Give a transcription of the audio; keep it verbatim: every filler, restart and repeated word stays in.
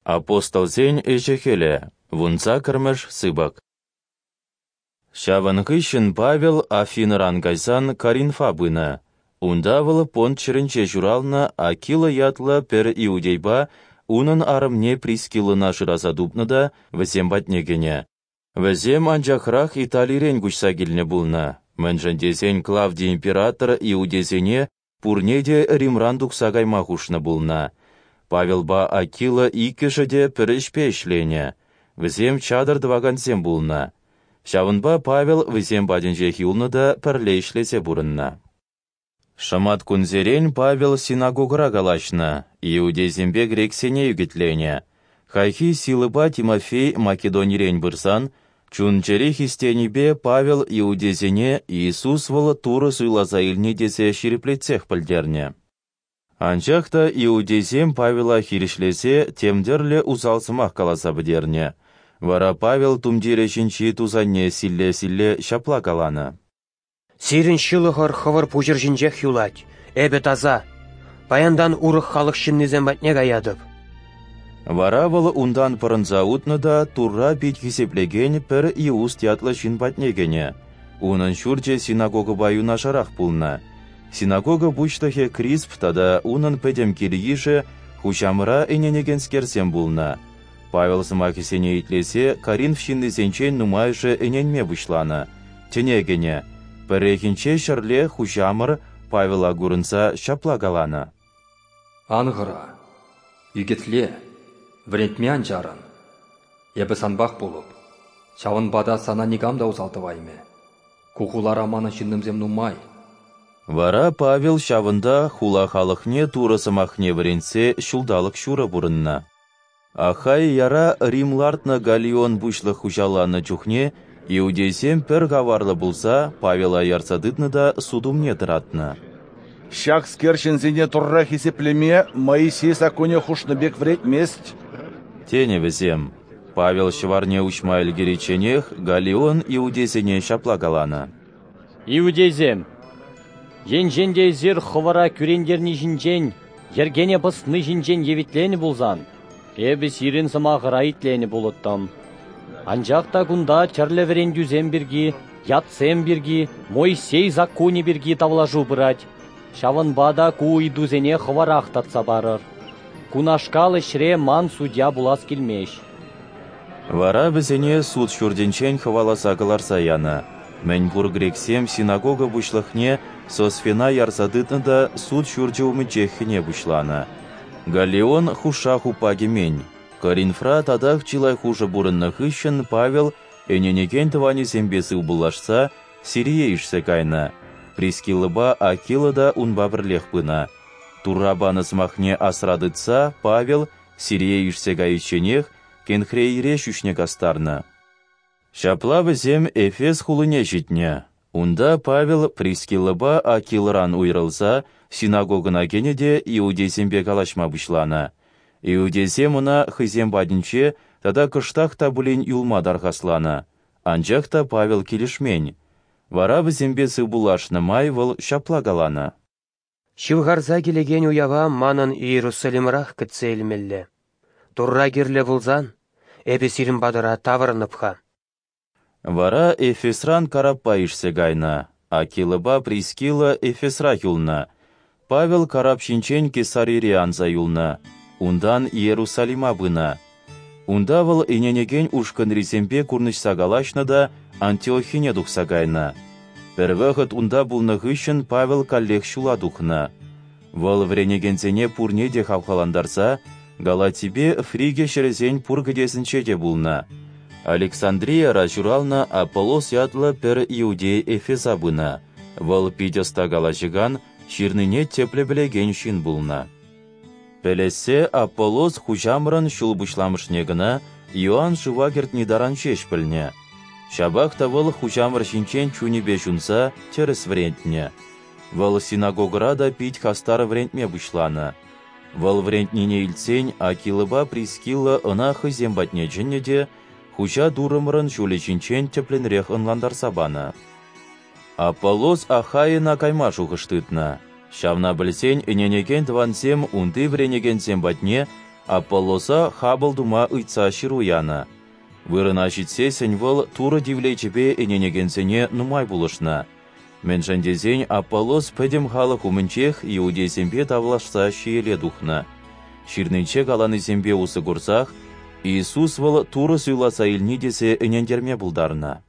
Апостолсен ӗҫӗ-хӗлӗ, вунсаккӑрмӗш сыпӑк. Ҫавӑн хыҫҫӑн Павел Афинӑран кайсан Коринфа пынӑ. Унта вӑл Понт ҫӗрӗнче ҫуралнӑ Акила ятлӑ пӗр иудейпа унӑн арӑмне Прискиллӑна шыраса тупнӑ та вӗсем патне кӗнӗ. Вӗсем анчахрах Италирен куҫса килнӗ пулнӑ, мӗншӗн тесен Клавдий император иудейсене пурне те Римран тухса кайма хушнӑ пулнӑ. Павелпа Акила иккӗшӗ те пӗр ӗҫпе ӗҫленӗ, вӗсем чатӑр тӑвакансем пулнӑ. Ҫавӑнпа Павел вӗсем патӗнчех юлнӑ та пӗрле ӗҫлесе пурӑннӑ. Шӑматкунсерен Павел синагогӑра калаҫнӑ, иудейсемпе грексене ӳкӗтленӗ. Хайхи Силӑпа Тимофей Македонирен пырсан, чун-чӗри хистенипе Павел иудейсене Иисус вӑл Турӑ суйласа илни тесе ҫирӗплетсех пӗлтернӗ. Анчах та иудейсем Павела хирӗҫлесе тем тӗрлӗ усал сӑмах каласа пӗтернӗ. Вара Павел тумтирӗ ҫинчи тусанне силле-силле ҫапла каланӑ: «Сирӗн ҫылӑхӑр хӑвӑр пуҫӑр ҫинчех юлать, эпӗ таса. Паянтан урӑх халӑх ҫыннисем патне каятӑп». Вара вӑл унтан пӑрӑнса утнӑ та Турра пит хисеплекен пӗр Иуст ятлӑ ҫын патне кӗнӗ. Унӑн ҫурчӗ синагогӑпа юнашарах пулнӑ. Синагога пуҫлӑхӗ Крисп тата унӑн пӗтӗм кил-йышӗ Хуҫамӑра ӗненекенскерсем пулнӑ. Павел сӑмахӗсене итлесе Коринф ҫыннисенчен нумайӑшӗ ӗненме пуҫланӑ, тӗне кӗнӗ. Пӗррехинче ҫӗрле Хуҫамӑр Павела курӑнса ҫапла каланӑ: «Ан хӑра, ӳкӗтле, вӗрентме ан чарӑн. Эпӗ санпах пулӑп, ҫавӑнпа та сана никам та усал тӑваймӗ. Ку хулара манӑн ҫыннӑмсем нумай». Вара Павел ҫавӑнта хула халӑхне Турӑ сӑмахне вӗрентсе ҫулталӑк ҫурӑ пурӑннӑ. Ахаияра Рим лартнӑ Галлион пуҫлӑх хуҫаланнӑ чухне иудейсем пӗр каварлӑ пулса Павела ярса тытнӑ та суд умне тӑратнӑ. «Ҫакскер ҫынсене Турра хисеплеме Моисей саккунӗ хушнӑ пек вӗрентмест», тенӗ вӗсем. Павел ҫӑварне уҫма ӗлкӗричченех Галлион иудейсене ҫапла каланӑ: «Иудейсем, енчен те эсир хӑвӑра кӳрентерни ҫинчен, йӗркене пӑсни ҫинчен евитленӗ пулсан, эпӗ сирӗн сӑмахӑра итленӗ пулӑттӑм. Анчах та кунта тӗрлӗ вӗрентӳсем пирки, ятсем пирки, Моисей саккунӗ пирки тавлашу пырать. Ҫавӑнпа та ку ыйтусене хӑвӑрах татса парӑр. Кунашкал ӗҫре ман судья пулас килмест». Вара вӗсене суд ҫуртӗнчен хӑваласа кӑларса янӑ. Мӗнпур грексем синагога пуҫлӑхне Сосфена ярса тытнӑ та суд ҫурчӗ умӗнчех хӗне пуҫланӑ. Галлион хушша-хуппа кӗмен. Коринфра татах чылай хушӑ пурӑннӑ хыҫҫӑн Павел ӗненекен тӑванӗсемпе сывпуллашса Сирие ишсе кайнӑ. Прискиллӑпа Акила та унпа пӗрлех пынӑ. Турра панӑ сӑмахне асра тытса Павел Сирие ишсе кайичченех Кенхрейре ҫӳҫне кастарнӑ. Ҫапла вӗсем Эфес хулине ҫитнӗ. Унта Павел Прискиллӑпа Акилӑран уйрӑлса синагогӑна кӗнӗ те иудейсемпе калаҫма пуҫланӑ. Иудейсем ӑна хӑйсем патӗнче тата кӑштах та пулин юлма тархасланӑ, анчах та Павел килӗшмен. Вара вӗсемпе сывпуллашнӑ май вӑл ҫапла каланӑ: «Ҫывхарса килекен уява манӑн Иерусалимрах кӗтсе илмелле. Турра кирлӗ пулсан, эпӗ сирӗн патӑра таврӑнӑп-ха». Вара Эфесран караппа ишсе кайнӑ. Акилӑпа Прискилла Эфесрах юлнӑ. Павел карап ҫинчен Кесарире анса юлнӑ, унтан Иерусалима пынӑ. Унта вӑл ӗненекен ушкӑнрисемпе курнӑҫса калаҫнӑ та Антиохине тухса кайнӑ. Пӗр вӑхӑт унта пулнӑ хыҫҫӑн Павел каллех ҫула тухнӑ. Вӑл вӗренекенсене пурне те хавхалантарса Галатипе Фриги ҫӗрӗсен пур кӗтесӗнче те пулнӑ. Александрияра ҫуралнӑ Аполлос ятлӑ пӗр иудей Эфеса пынӑ. Вӑл пит ӑста калаҫакан, ҫырнине тӗплӗ пӗлекен ҫын пулнӑ. Пӗлессе Аполлос Хуҫамӑрӑн ҫул пуҫламӑшне кӑна Иоанн шыва кӗртни таран ҫеҫ пӗлнӗ. Ҫапах та вӑл Хуҫамӑр ҫинчен чунӗпе ҫунса тӗрӗс вӗрентнӗ. Вӑл синагогӑра та пит хастар вӗрентме пуҫланӑ. Вӑл вӗрентнине илтсен Акилӑпа Прискилла ӑна хӑйсем патне чӗннӗ те Хуҫа Туррӑмӑрӑн ҫулӗ ҫинчен тӗплӗнрех ӑнлантарса панӑ. Аполлос Ахайӑна кайма шухӑш тытнӑ. Ҫавна пӗлсен ӗненекен тӑвансем унти вӗренекенсем патне Аполлоса хапӑл тума ыйтса ҫыру янӑ. Вырӑна ҫитсессӗн вӑл Турӑ тивлечӗпе ӗненекенсене нумай пулӑшнӑ. Мӗншӗн тесен Аполлос пӗтӗм халӑх умӗнчех иудейсемпе тавлашса ҫиеле тухнӑ, Ҫырнинче каланисемпе усӑ курсах Иисус вӑл Турӑ Суйласа илни тесе ӗнентерме пултарнӑ.